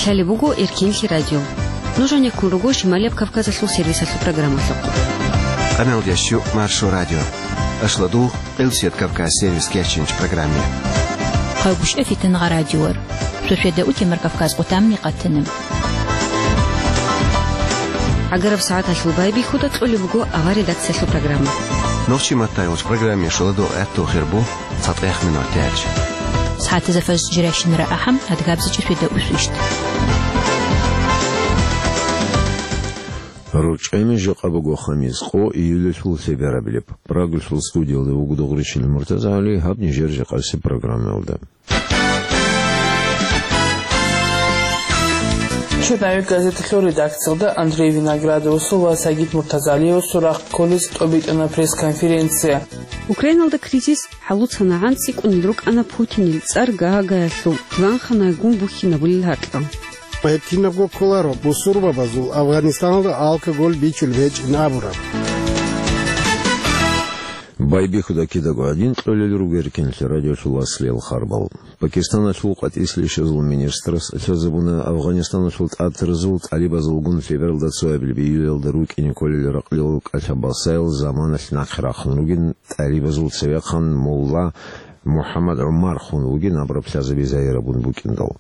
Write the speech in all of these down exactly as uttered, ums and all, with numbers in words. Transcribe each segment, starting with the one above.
Лъалеб буго Эркенлъи радио. Нуж гьанеккун руго Шималияб Кавказалъул сервисалъул программалъухъ. Къаналдящу Маршо радио. Ашладул Къилсият Кавказ сервис кечинч программе. Хъагушев Фитангъа радиор. Шошеда утемар Кавказ къутамни къатана. Агараб сагӀаталъул байбихьуда кьолеб буго авар редакциялъул программа. Нохчи маттайолч программе шоладо гӀатту хирбу цатӀех минор тяч. СагӀатаза фаз жиращинара ахӀам, адгабзичи шведа усвищт. РучӀами жакъа буго хамис, къо июлалъул лъеберабилеб. Прагалъул студиялда вуго Дугъричил МуртазагӀали, гьаб нижер жакъаси программалда. Черновик газеталъул редакциялда Андрей Виноградовасул ва Сагид Муртазалиевасул рахъ кколез тӀобитӀана пресс-конференция. Украиналда кризис хӀалуцанагӀан цӀикӀкӀунел рукӀана Путинил цӀар Гаагаялъул лъугӀанханайгун бухьинабулел гьаркьа. Гьеб кинабго кколаро бусурбабазул Афганистаналда алкоголь бичулеб гьечӀин абураб. Байбихьуда кидаго гьадин кьолел руго Эркенлъи радиолъул васлиял харбал. Пакистаналъул къватӀислъи щвезул министрас лъазабуна Афганистаналъул тӀатаразул тӀалибазулгун лъебералда цоябилеб июлалда рукӀине кколел ракълил кӀалъа-басаял заманалъ нахъе рахъун ругин, тӀалибазул цевехъан мулла МухӀаммад ГӀумар хун вугин абураб лъазаби загьирабун букӀиндал.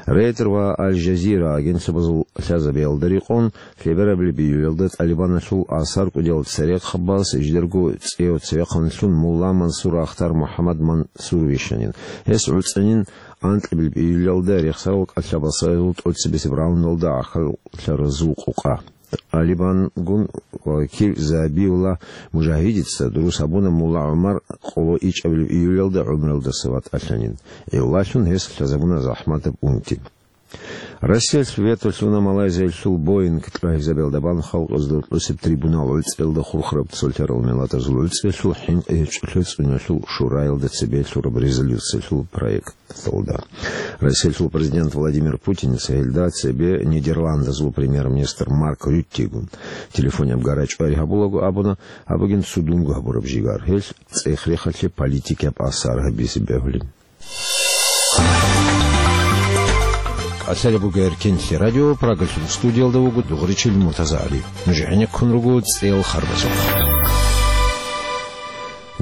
Рейтер ва Аль-Жазира агентствабазул лъазабиялда рекъон, лъеберабилеб июлалда ТӀалибаналъул асар кӀудиял церехъабаз жидерго цӀеяв цевехъанлъун мулла Мансур Ахтар МухӀаммад Мансур вищанин. Гьес гӀуцӀанин анкьабилеб июлалда рехсарал кӀалъа-басаязул тӀоцебесеб раундалда гӀахьаллъаразул къукъа. ТӀалибангун вакил Забиулла Мужагьидица дурус гьабуна мулла ГӀумар къоло ичӀабилеб июлалда гӀумруялдаса ватӀалъанин. Гьелалъун гьес лъазабуна захӀматаб унти. Россиялъ вето лъуна Малайзиялъул Боинг тӀагӀизабиялда бан халкъазда рокьусеб трибунал гӀуцӀиялда хурхараб цолъарал миллатазул гӀуцӀиялъул хӀинкъи гьечӀолъи цӀуниялъул шураялда цебе лъураб резолюциялъул проекталда. Россиялъул президент Владимир Путиница гьелда цебе Нидерландазул премьер-министр Марк Рюттегун телефонияб гарачӀвай гьабулаго абуна, гьаб бугин цудунго гьабураб жигар, гьелъ цӀех-рехалъе политикияб асар гьабизе бегьулин. КӀалъалеб буго Эркенлъи радио, Прагалъул студиялда вуго Дугъричил МуртазагӀали. Нуж гӀенеккун руго цӀеял харбазухъ.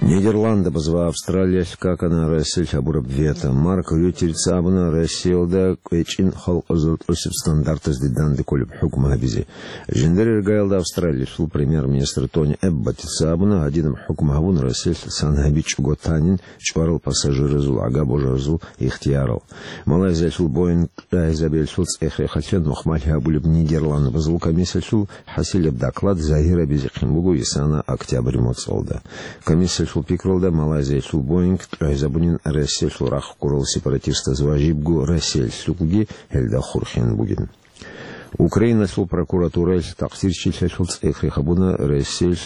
Нидерландабаз ва Австралиялъ какана Россиялъ гьабураб вето. Марк Рюттерица абуна Россиялда кӀвечӀин халкъазул тӀосеб стандартазде данде кколеб хӀукму гьабизе. Жиндир иргаялда Австралиялъул премьер-министр Тони Эбботица абуна, гьадинаб хӀукму гьабун Россиялъ сан гьабичӀого танин чӀварал пассажиразул гӀага божаразул ихтиярал. Малайзиялъул Боинг тӀагӀизабиялъул цӀех-рехалъе нухмалъи гьабулеб Нидерландбазул комиссиялъул хӀасилеб доклад загьирабизехъин буго исана октябрь моцӀалда. Комиссиялъул пикралда, Малайзиялъул Боинг тӀагӀизабунин Россиялъул рахъ ккурал сепаратистаз ва жибго Россиялъулги гьелда хурхин бугин. Украиналъул прокуратураялъ такъсирчилъиялъул цӀех-рех гьабуна Россиялъ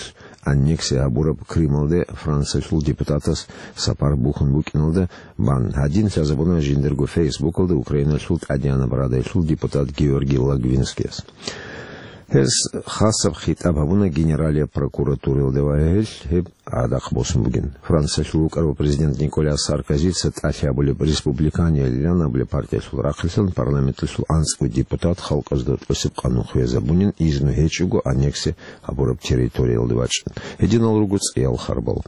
аннексия гьабураб Крымалде Франциялъул депутатас сапар бухьун букӀиналда бан. Гьадин лъазабуна жиндирго Фейсбукалда Украиналъул ТӀадегӀанаб Радаялъул депутат Георгий Логвинскияс. Гьес хасаб хитӀаб гьабуна Генералияб прокуратураялда ва гьелъ гьеб гӀадахъ босун бугин. Франциялъул вукӀарав президент Николя Саркозица тӀалъи гьабулеб Республиканиял лъан абулеб партиялъул рахъалъан парламенталъул анцӀго депутат халкъазда тӀосеб къанун хвезабунин изну гьечӀого аннексия гьабураб территориялде вачӀун. Гьединал руго цӀеял харбал.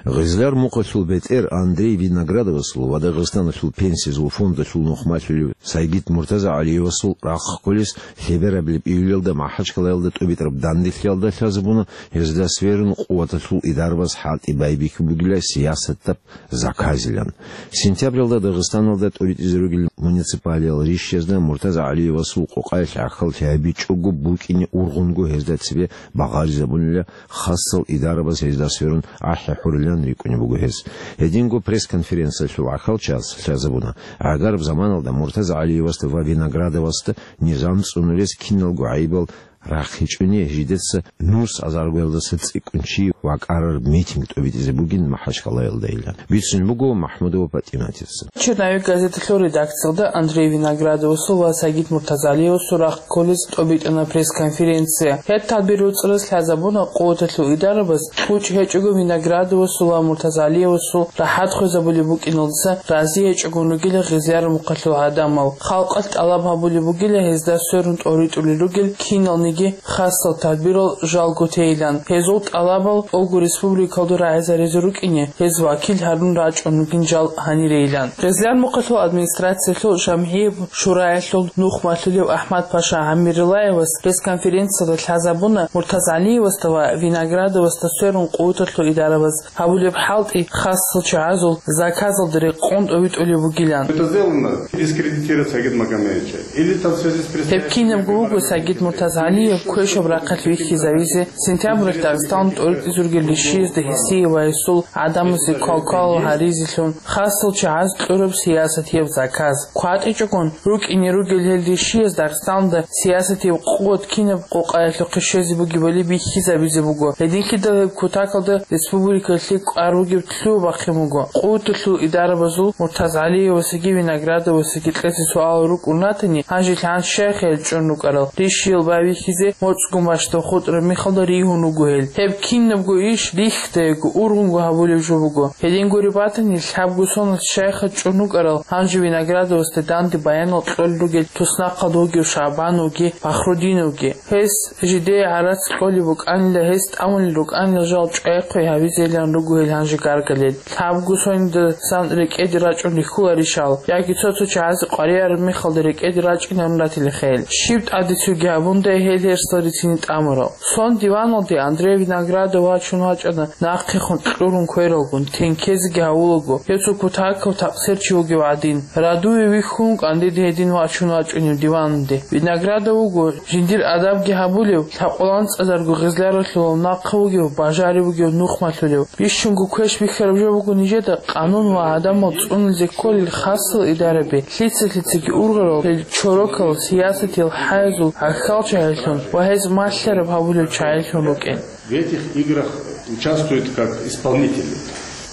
Гъизлар мухъалъул бетӀер Андрей Виноградовасул ва Дагъистаналъул пенсиязул фондалъул нухмалъулев Сайгид МуртазагӀалиевасул рахъ кколес лъеберабилеб июлалда МахӀачкъалаялда тӀубитӀараб данделъиялда лъазабуна гьезда сверун къуваталъул идарабаз хӀалтӀи байбихьи бугила сиясатаб заказилан. Сентябралда Дагъистаналда тӀуритӀизе ругел муниципалиял ришшазда МуртазагӀалиевасул къокъаялъ гӀахьаллъи гьабичӀого букӀине ургъунго гьезда цебе багъаризабунила хасал идарабаз гьезда сверун ахӀи хӀурилан рикӀкӀунеб буго гьез. Гьединго пресс-конференциялъул гӀахьалчияс лъазабуна, гӀагараб заманалда МуртазагӀалиевасда ва Виноградовасда низам цӀунулес киналго гӀайибал рахъинчӀони жидеца нус азаргоялдаса цӀикӀкӀун чи вакӀараб митинг тӀобитӀизе бугин Махачкалаялдайилан, бицунеб буго МахӀмудова ПатӀиматица. «Черновик» газеталъул редакциялда Андрей Виноградовасул ва Сагид Муртазалиевасул рахъ кколез тӀобитӀана пресс-конференция. Гьеб тадбир руцӀарас лъазабуна къуваталъул идарабаз, кьучӀ гьечӀого Виноградовасул ва Муртазалиевасул рахӀат хвезабулеб букӀиналдаса рази гьечӀогун ругила гъезлъараб мухъалъул гӀадамал. Халкъалъ тӀалаб гьабулеб бугила гьезда сверун тӀоритӀулел ругел киналниги хасал тадбирал жалго тейилан. Гьезул тӀалабал тӀолго республикалда рагӀизаризе рукӀине, гьез вакил гьарун рачӀун ругин жал гьанирейилан. Гъезлъар мухъалъул администрациялъул жамгӀияб шураялъул нухмалъулев АхӀмад-паша ГӀамирилаевас пресс-конференциялда лъазабуна Муртазалиевасда ва Виноградовасда сверун къуваталъул идарабаз гьабулеб хӀалтӀи хасал чагӀазул заказалда рекъон тӀовитӀулеб бугилан. Это сделано дискредитировать Сагида Магомаевича. Или там в связи с... Гьеб кинабго буго Сагид Муртазалиев квешаб рахъалъ вихьизавизе, сентябралъ Дагъистан тӀоритӀизургел ришиязда гьесие ва гьесул гӀадамазе квалквал гьаризелъун, хасал чагӀаз кьураб сиясатияб заказ. КватӀичӀогун рукӀине ругел гьел ришияз Дагъистанда сиясатияб къуват кинаб къокъаялъухъе щвезе бугебали бихьизабизе буго. Гьединлъидал гьеб кутакалда республикалъе кӀвар бугеб лъугьа-бахъин буго. Къуваталъул идарабазул Муртазалиевасеги Виноградовасеги кьезе суалал рукӀун ратани, гьанже лъан щайха гьел чӀун рукӀарал, ришиял байбихьизе моцӀгун бащдаб хутӀараб мехалда ригьун руго гьел. Гьеб кинабго иш рихьдайго, ургъунго гьабулеб жо буго. Гьедин гуреб батани, лъабго соналъ щайха чӀун рукӀарал, гьанже Виноградовасда данде баянал кьолел ругел туснахъалда вугев ШагӀбановги Фахрудиновги. Гьес жидее гӀарац кьолеб букӀанила, гьес тӀамулел рукӀанила жал чӀвай-хъвей гьавизейилан руго гьел гьанже гаргалел. Лъабго соналдасан рекӀеде рачӀун рихьуларищал, яги цо-цо чагӀазе къваригӀараб мехалда рекӀеде рачӀинарун ратилаха гьел. Щиб тӀадецуги гьабундай гьел гьерсал рицине тӀамурал. Сон диваналде Андрей Виноградов вачун вачӀана, нахъехун кьурун квералгун, тенкезеги гьавулаго, гьев цо кутакав такъсир чи вугев гӀадин. Радуве вихьун кӀандеде гьедин вачун вачӀунев диваналде. Виноградов вуго жиндир адабги гьабулев, лъакъуланцӀазарго гъезлъаралъулал нахъа вугев, бажариб бугев нухмалъулев. Бищунго квеш бихьараб жо буго нижеда къанун ва гӀадамал цӀунулзе кколел хасал идараби, лъица-лъицаги ургъарал гьел чорокал сиясатиял хӀайзул гӀахьалчагӀилъун ва гьез малъараб гьабулел чагӀилъун рукӀин. В этих играх участвуют как исполнители.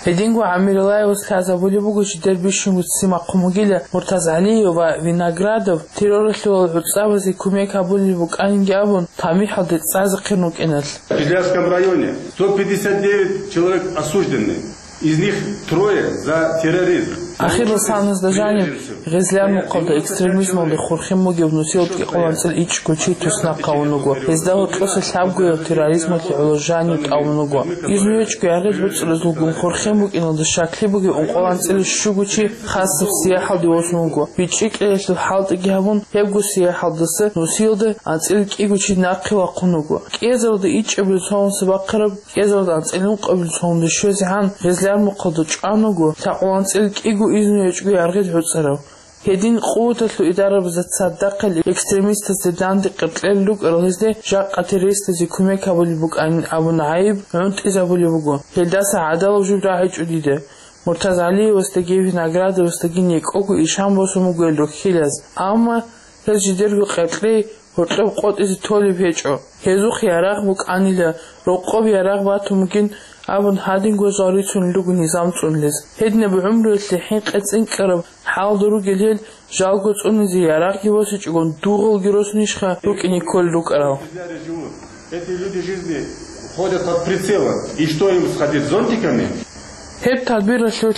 Гьединго ГӀамирилаевас лъазабулеб буго жидер бищунго ццин бахъун бугила Муртазалиев ва Виноградов терроралъулал гӀуцӀабазе кумек гьабулеб букӀанинги абун, тамихӀалде цӀазехъин рукӀиналъ. В Кизлярском районе сто пятьдесят девять человек осуждены, из них трое за терроризм. Ахирал саназда жанив Гъезлъар мухъалда экстремизмалде хурхин бугев нусил кӀикъоялда анцӀила ичӀго чи туснахъ гьавун вуго. Гьезда гьоркьоса лъабгояв терроризмалъе гӀоло жанив тӀамун вуго. Изну гьечӀго яргъи гӀуцӀразулгун хурхин букӀиналда щаклъи бугев ункъоялда анцӀила щуго чи хасаб сияхӀалде восун вуго. БичӀчӀи кьеялъул хӀалтӀиги гьабун, гьебго сияхӀалдаса нусиялда анцӀила кӀиго чи нахъе вахъун вуго. КӀиазаралда ичӀабилеб цо унса бахъараб, кӀиазаралда анцӀила ункъабилеб цо унде щвезегӀан Гъезлъар мухъалда чӀван вуго лъакъоялда анцӀила кӀиго изну гьечӀго яргъи гӀуцӀарав. Гьедин къуваталъул идарабазда цадахъ гьел экстремистазде данде къеркьел рукӀарал гьезде жакъа террористазе кумек гьабулеб букӀанин абун гӀайиб гӀунтӀизабулеб буго. Гьелдаса гӀадалаб жо рагӀичӀо дида. Муртазалиевасдаги Виноградовасдаги некӀого ишан босун буго гьел рухьилаз. Амма гьез жидерго къеркьей гьоркьоб къотӀизе толеб гьечӀо. Гьезухъ ярагъ букӀанила, рокъоб ярагъ батун бугин абун гьадинго жал рицунел руго низам цӀунулез. Гьединаб гӀумруялъе хӀинкъи цӀинкӀкӀараб хӀалда ругел гьел жалго цӀунизе ярагъги босичӀогон дугъалги росунищха рукӀине кколел рукӀарал? Эти люди жизни ходят под прицелом. И что, им сходить зонтиками? Гьеб тадбиралъулъ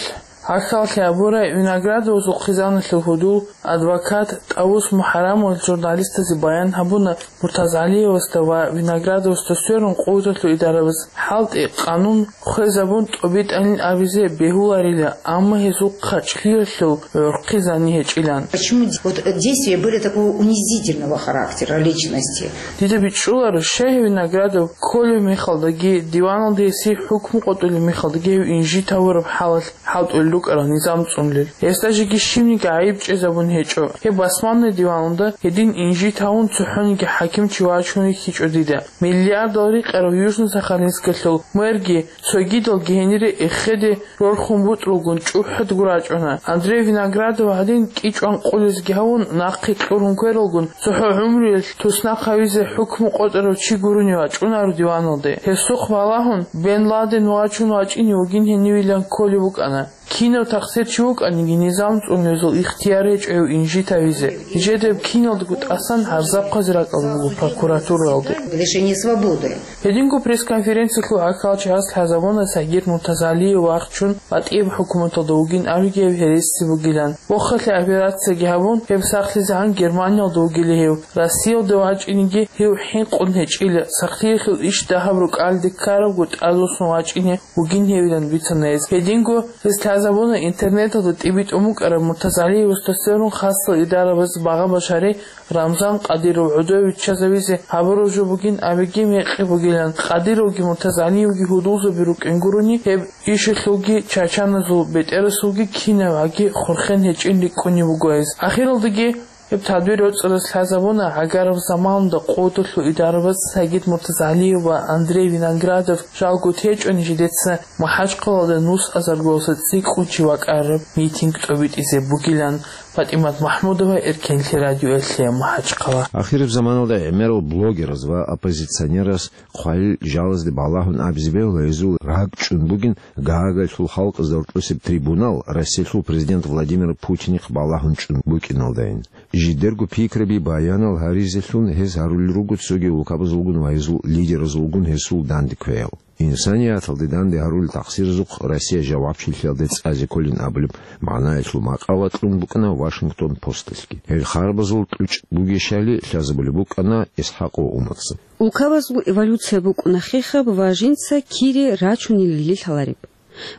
гӀахьаллъи абурай Виноградовасул хъизаналъул гьудул, адвокат ТӀавус МухӀарамов журналистазе баян гьабуна, Муртазалиевасда ва Виноградовасда сверун къуваталъул идарабаз хӀалтӀи, къанун хвезабун тӀобитӀанин абизе бегьуларила, амма гьезул хъачӀлъиялъул гӀурхъи зани гьечӀилан. Почему вот действия были такого унизительного характера личности? Дида бичӀчӀуларо, щай гьев Виноградов кколеб мехалдаги, диваналда гьесие хӀукму къотӀулеб мехалдаги гьев инжит гьавураб хӀалалъ хӀалтӀулел рукӀарал низам цӀунулел. Гьесда жеги щибниги гӀайиб чӀезабун гьечӀо. Гьеб басманный диваналда гьедин инжит гьавун цохӀониги хӀакимчи вачун рихьичӀо дида. Миллиардал рикъарав Южный Сахалинскалъул мэрги цогидалги гьенире эхеде рорхун бутӀрулгун чӀухӀадго рачӀуна. Андрей Виноградов гьадин кӀичӀван къулезги гьавун, нахъе кьурун квералгун, цохӀо гӀумруялъ туснахъ гьавизе хӀукму къотӀарав чи гурони вачӀунаро диваналде. Гьесухъ балагьун, Бен Ладен вачун вачӀине вугин гьенивилан кколеб букӀана. Кинав тахсир чи вукӀаниги, низам цӀунулезул ихтияр гьечӀо гьев инжит гьавизе. Жидеб киналдаго тӀасан гьарзахъазе ракӀалда буго прокуратуралде. Лишение свободы. Гьединго пресс-конференциялъул гӀахьалчагӀаз лъазабуна Сагид Муртазалиев вахчун БатӀияб хӀукуматалда вугин абиги гьев гьереси бугилан. Вохалъе операцияги гьабун, гьеб сахлъизегӀан Германиялда вугила гьев. Россиялда вачӀиниги гьев хӀинкъун гьечӀила, сахлъиялъул иш дагьаб рукӀалде ккарабго тӀадвуссун вачӀине вугин гьевилан бицана гьез. Гьединго гьез лъазабуна интернеталда тӀибитӀун букӀараб Муртазалиевасда сверун хасал идарабаз багъа-башари Рамзан Къадиров гӀодове виччазавизе гьабураб жо бугин абиги мекъи бугилан, Къадировги Муртазалиевги гьудулзаби рукӀин гурони, гьеб ишалъулги чачаназул бетӀерасулги кинабгӀаги хурхен гьечӀин рикӀкӀунеб буго гьез. Ахиралдаги гьеб тадбир роцӀараз лъазабуна гӀагараб заманалда къодалъул идарабаз Сагид Муртазалиев ва Андрей Виноградов жалго течӀони жидеца МахӀачхъалаялда нус азаргоялдаса цӀикӀкӀун чи вакӀараб митинг тӀобитӀизе бугилан. ПатӀимат МахӀмудова, Эркенлъи радиоялъе, МахӀачхъала. Ахираб заманалда гӀемерал блогераз ва оппозиционераз хъвалил жалазде балагьун абизе бегьула гьезул ракӀчӀун бугин Гаагайлъул халкъазда гьоркьосеб трибунал Россиялъул президент Владимир Путинихъ балагьун чӀун букӀиналдайин. Жидерго пикраби баянал гьаризелъун гьез гьарулел руго цоги улкабазулгун ва гьезул лидеразулгун гьесул данде квеял. Инсанияталде данде гьарулел тахсирзухъ Россия жавабчилъиялде цӀазе кколин абулеб магӀнаялъул макъала кьун букӀана Вашингтон Посталъги. Гьел харбазул кьучӀ бугещали лъазабулеб букӀана ИсхӀакъ ва Умарзаб. Улкабазул эволюция букӀуна хехаб ва жинца кире рачунелали лъалареб.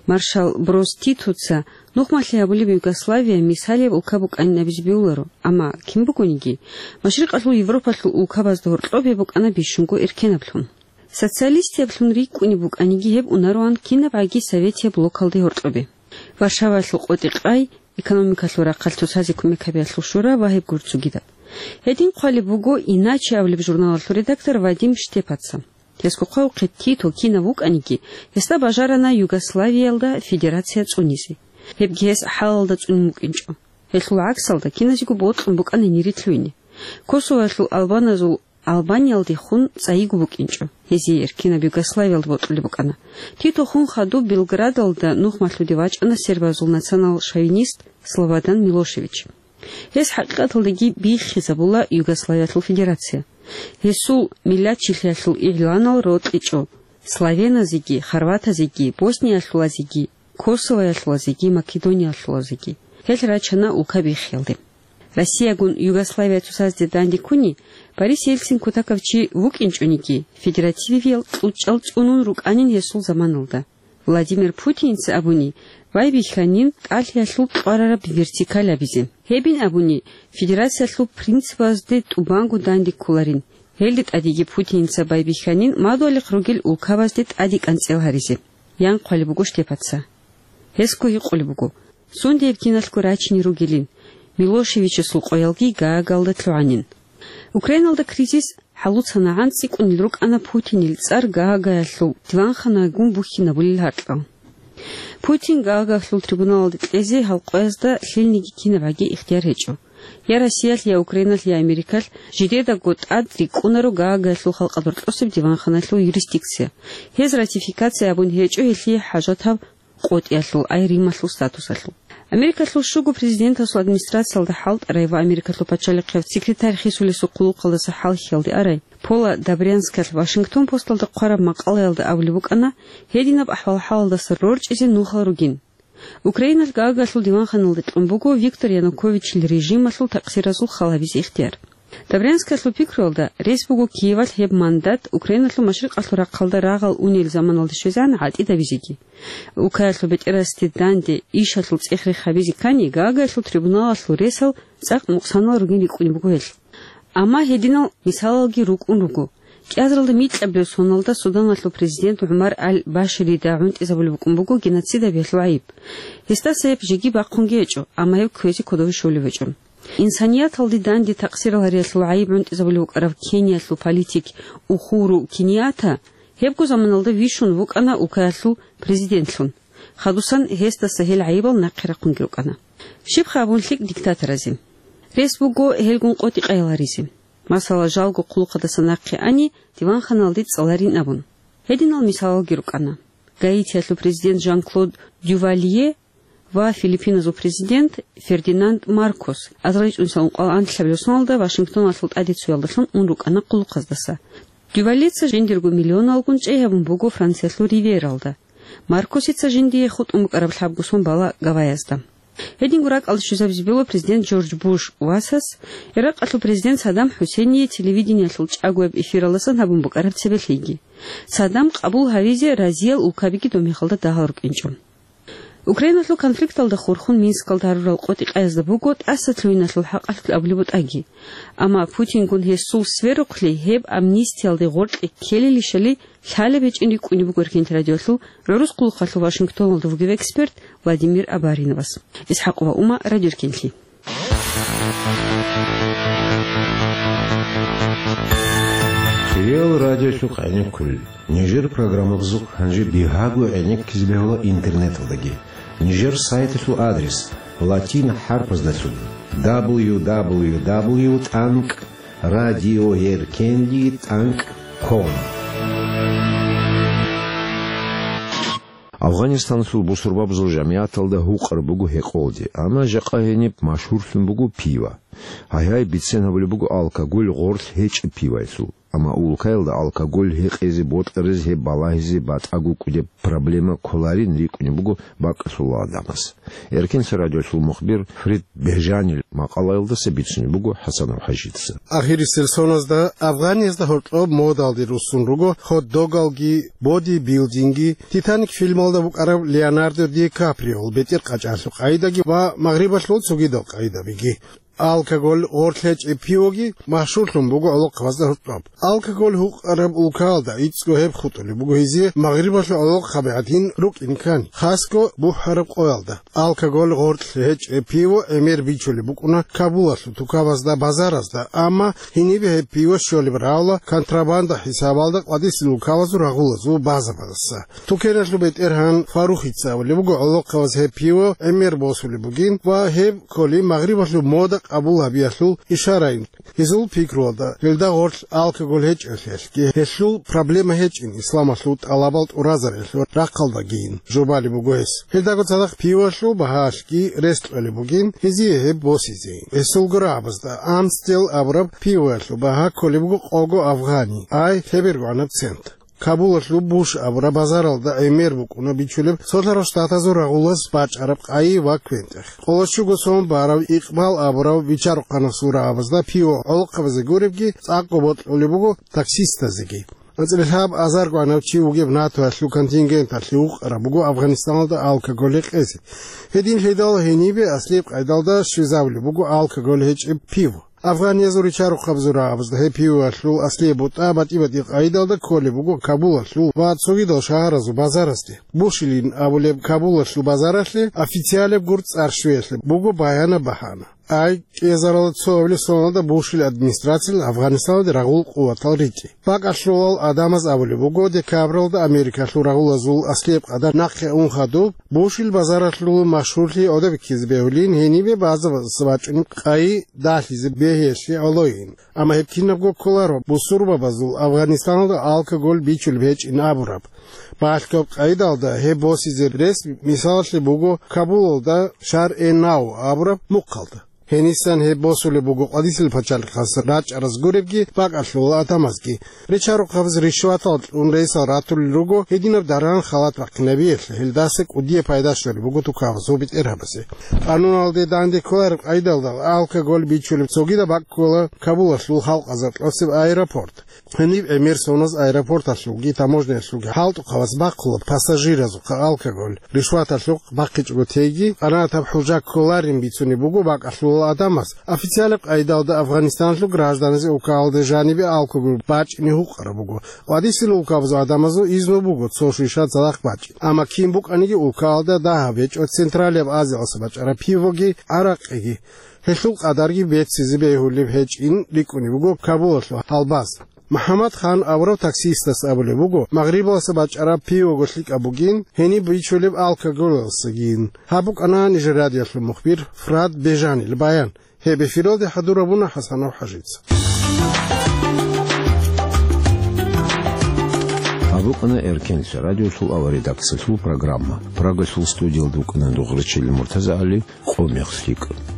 Маршал Брос Титоца нухмалъи гьабулеб Югославия мисалияб улка букӀанин абизе бегьуларо, амма кин бугониги, Машрикъалъул Европалъул улкабазда гьоркьобе букӀана бищунго эркенаблъун. Социалистияблъун рикӀкӀунеб букӀаниги гьеб унароан кинабгӀаги советияб блокалде гьоркьобе. Варшаваялъул КъотӀи-къай, экономикалъул рахъалъ цоцазе кумек гьабиялъул шура ва гьеб гур цогидаб. Гьедин хъвалеб буго «Иначе» абулеб журналалъул редактор Вадим Штепаца. Гьесго хъвавухъе, Тито кинав вукӀаниги, гьесда бажарана Югославиялда федерация цӀунизе. Гьебги гьес хӀалалда цӀунун вукӀинчӀо. Гьелъул гӀаксалда киназего бокьун букӀана гьенир лъугьине. Косовоялъул албаназул Албаниялдехун цӀайиго букӀинчӀо. Гьезие эркинаб Югославиялда бокьулеб букӀана. Тито хун хадуб Белградалда нухмалъуде вачӀана сербазул национал-шовинист Слободан Милошевич. Гьес хӀакъикъаталдаги биххизабула Югославиялъул федерация. Гьесул миллатчилъиялъул игъланал рокьичӀо славеназеги, хорватазеги, босниялъулазеги, косовоялъулазеги, македониялъулазеги. Гьел рачана улка биххиялде. Россиягун Югославия цоцазде данде ккуни, Борис Ельцин кутакав чи вукӀинчӀониги, федеративиял кьучӀал цӀунун рукӀанин гьесул заманалда. Владимир Путинца абуни, байбихьанин тӀалъиялъул кьварараб вертикаль абизе. Гьебин абуни, федерациялъул принципазде тӀубанго данде кколарин. Гьелде тӀадеги Путинца байбихьанин мадугьалихъ ругел улкабазде тӀаде кӀанцӀел гьаризе. Ян хъвалеб буго Штепаца. Гьесго гьикъулеб буго, сундияб киналъго рачине ругелин, Милошевичасул къоялги Гаагалда лъугӀанин. Украиналда кризис хӀалуцанагӀан цӀикӀкӀунел рукӀана Путинил цӀар Гаагаялъул диванханагун бухьинабулел гьаркьал. Путин Гаагаялъул трибуналалде кьезе гьал къоязда лъилниги кинабгӀаги ихтияр гьечӀо. Я Россиялъ, я Украиналъ, я Америкалъ жидедаго тӀад рикӀкӀунаро Гаагаялъул халкъалда рокьосеб диванханалъул юрисдикция. Гьез ратификация абун гьечӀо гьелъие хӀажатаб къотӀиялъул, ай Рималъул статусалъул. Америкалъул щуго президентасул администрациялда хӀалтӀарай ва Америкалъул пачалихъияб секретарь хисулесул хъулухъалдаса хӀалхьиялде арай Пола Добрянскалъ Вашингтон Посталда хъвараб макъалаялда абулеб букӀана, гьединаб ахӀвал-хӀалалдаса рорчӀизе нухал ругин. Украиналъ Гаагаялъул диванханалде кьун буго Виктор Януковичил режималъул такъсиразул хал гьабизе ихтияр. Добрянскалъул пикруялда, рес буго Киевалъ гьеб мандат Украиналъул машрикъалъул рахъалда рагъал унел заманалде щвезегӀан гӀатӀидабизеги. Улкаялъул бетӀерасде данде ишалъул цӀех-рех гьабизе ккани, Гаагаялъул трибуналалъул ресал цӀакъ нукъсанал ругин рикӀкӀунеб буго гьелъ. Амма гьединал мисалалги рукӀун руго. КӀиазаралда микьабилеб соналда Суданалъул президент ГӀумар аль-Баширида гӀунтӀизабулеб букӀун буго геноцид гьабиялъул гӀайиб. Гьесдаса гьеб жеги бахъунги гьечӀо, амма гьев кквезе кодове щолев гьечӀо. Инсанияталде данде такъсирал гьариялъул гӀайиб гӀунтӀизабулев вукӀарав Кениялъул политик Ухуру Кенията гьебго заманалда вищун вукӀана улкаялъул президентлъун. Хадусан гьесдаса гьел гӀайибал нахъе рахъунги рукӀана. Щибха абун лъикӀ диктаторазе? Рес буго гьелгун къотӀи-къайи гьаризе. Масала, жалго хъулухъадаса нахъе ани, диванханалде цӀаларин абун. Гьединал мисалалги рукӀана. Гаитиялъул президент Жан-Клод Дювалье ва Филиппиназул президент Фердинанд Маркос азарилчӀунсал ункъоялда анлъабилеб соналда Вашингтоналъул тӀаде цоялдалъун ун рукӀана хъулухъаздаса. Дювальеца жиндирго миллионалгун чӀей гьабун буго Франциялъул Ривьералда. Маркосица жиндие хутӀун букӀараб лъабго сон бала Гавайязда. Гьединго ракӀалде щвезабизе бегьула президент Джордж Буш васас Иракъалъул президент Саддам ХӀусейние телевидениялъул чӀагояб эфиралдасан гьабун букӀараб цебе лъиги. Саддам къабул гьавизе разиял улкабиги доб мехалда дагьал рукӀинчӀо. Украиналъул конфликталда хурхун Минскалда гьарурал къотӀи-къаязда буго тӀаса лъугьиналъул хӀакъалъулъ абулеб бутӀаги. Амма Путингун гьесул сверухъли гьеб амнистиялде гъоркье ккелилищали лъалеб гьечӀин рикӀкӀунеб буго Эркенлъи радиоялъул гӀурус хъулухъалъул Вашингтоналда вугев эксперт Владимир Абариновас. ИсхӀакъова Ума, Радио Эркенлъи. Хириял радиолъухъ гӀенеккулел. Нижер программабазухъ гьанже бигьаго гӀенеккизе бегьула интернеталдаги. Нижер сайталъул адрес латин хӀарпаздалъун: дабл ю дабл ю дабл ю тӀанкӀ радиоеркенлъи тӀанкӀ ком. Афгъанистаналъул бусурбабазул жамигӀаталда гьукъараб буго гьекъолде, амма жакъа гьениб машгьурлъун буго пива. Гьайгьай, бицен гьабулеб буго алкоголь гъорлъ гьечӀеб пиваялъул. Амма улкаялда алкоголь гьекъезе, бокьаризе, гьеб балагьизе батӀаго кӀудеб проблема кколарин рикӀкӀунеб буго бакӀалъул гӀадамаз. Эркенлъи радиолъул мухбир Фрид Бежанил макъалаялдаса бицунеб буго ХӀасанов ХӀажидаса. Ахирисел соназда Афгъаниязда гьоркьоб модалде руссун руго хот-догалги, бодибилдинги, «Титаник» фильмалда букӀараб Леонардо Ди Каприол бетӀер къачӀаралъул къайдаги ва магърибалъул цогидал къайдабиги. Алкоголь гъорлъ гьечӀеб пивоги машгьурлъун буго гӀолохъабазда гьоркьоб. Алкоголь гьукъараб улкаялда гӀицӀго гьеб хутӀулеб буго гьезие магърибалъул гӀолохъаби гӀадин рукӀин ккани, хасго бухӀараб къоялда. Алкоголь гъорлъ гьечӀеб пиво гӀемер бичулеб букӀуна Кабулалъул тукабазда, базаразда, амма гьенибе гьеб пиво щолеб равла контрабанда хӀисабалда къвадисел улкабазул рагъулазул базабаздаса. Тукеналъул бетӀергьан Фарухица абулеб буго, гӀолохъабаз гьеб пиво гӀемер босулеб бугин ва гьеб кколин магърибалъул мода къабул гьабиялъул ишарайин. Гьезул пикруялда, гьелда гъорлъ алкоголь гьечӀелъиялъги, гьелъул проблема гьечӀин исламалъул тӀалабал тӀуразариялъул рахъалдагийин жубалеб буго гьес. Гьелдаго цадахъ пивалъул багьаялъги рес кьолеб бугин гьезие гьеб босизе. Гьесулго рагӀабазда Амстел абураб пиваялъул багьа кколеб буго къого афгъани, ай лъебергогӀанаб цент. Кабулалъул Буш абураб базаралда гӀемер букӀуна бичулеб Цолъарал Штатазул рагъулаз бачӀараб къайи ва квен-тӀех. Къоло щуго сом барав Икъбал абурав вичарухъанасул рагӀабазда пиво гӀолохъабазе гуребги цӀакъго бокьулеб буго таксистазеги. АнцӀила лъабазаргогӀанав чи вугев НАТОялъул контингенталъе вукъараб буго Афгъанистаналда алкоголь гьекъезе. Гьединлъидал гьенибе аслияб къайдалда щвезабулеб буго алкоголь гьечӀеб пиво. Афгъаниязул ричарухъабазул рагӀабазда гьеб пивалъул аслияб бутӀа батӀи-батӀиял къайдалда кколеб буго Кабулалъул ва цогидал шагьаразул базарасде. Бушилин абулеб Кабулалъул базаралъе официалеб гур цӀар щвеялъе буго баянаб багьана. Ай, кӀиазаралда цо гьабилеб соналда Бушил администрациялъ Афгъанистаналде рагъул къуватал ритӀи. БакӀалъулал гӀадамаз абулеб буго, декабралда Америкалъул рагъулазул аслияб къадар нахъе ун хадуб, Бушил базаралъул машгьурлъи гӀодобиккизе бегьулин гьенибе базабаздаса бачӀунеб къайи далъизе бегьиялъе гӀолойин. Амма гьеб кинабго кколаро бусурбабазул Афгъанистаналда алкоголь бичулеб гьечӀин абураб. Балъгояб къайдалда гьеб босизе рес мисалалъе буго Кабулалда Шар-э-Нав абураб мухъалда. Гьенисан гьеб босулеб буго къвадисел пачалихъас рачӀараз гуребги, бакӀалъул гӀадамазги. Ричарухъабаз ришватал кьун ресал ратулел руго гьединаб даран халат бахъинабиялъе, гьелдаса кӀудияб пайда щолеб буго тукабазул бетӀергьабазе. Къануналде данде кколареб къайдалда алкоголь бичулеб цогидаб бакӀ ккола Кабулалъул халкъ азаркьосеб аэропорт. Гьениб гӀемер соназ аэропорталъулги таможняялъулги хӀалтӀухъабаз бахъула пассажиразухъа алкоголь, ришваталъухъ бахъичӀого теги, къанагӀатаб хӀужа кколарин бицунеб буго бакӀалъул Адамас официалаб къайдалда Афганистаналъул гражданазе улкаялда жанибе алкогол бачӀине гьукъараб буго. Къвадисел улкабазул адамазул изну буго цо шуйшат цадахъ бачӀин. Амма кин букӀаниги улкаялда дагьаб гьечӀо Централияб Азиялъа бачӀараб пивоги, гӀаракъиги. Гьелъул къадарги беццизе бегьулеб гьечӀин рикӀкӀунеб буго Кабулалъул гьалбаз. МухӀаммад Хан аварав таксистас абулеб буго, Магърибалъа бачӀараб пивого лъикӀаб бугин, гьениб бичулеб алкоголалъагин. Гьаб букӀана нижер радиоялъул мухбир Фрад Бежанил баян. Гьеб эфиралде хӀадурабуна ХӀасанов ХӀажица. Гьаб букӀана Эркенлъа радиолъул авария редакциялъул программа. Прагалъул студиялда вукӀана Дугърачил МуртазагӀали, къо мехлъ лъикӀ.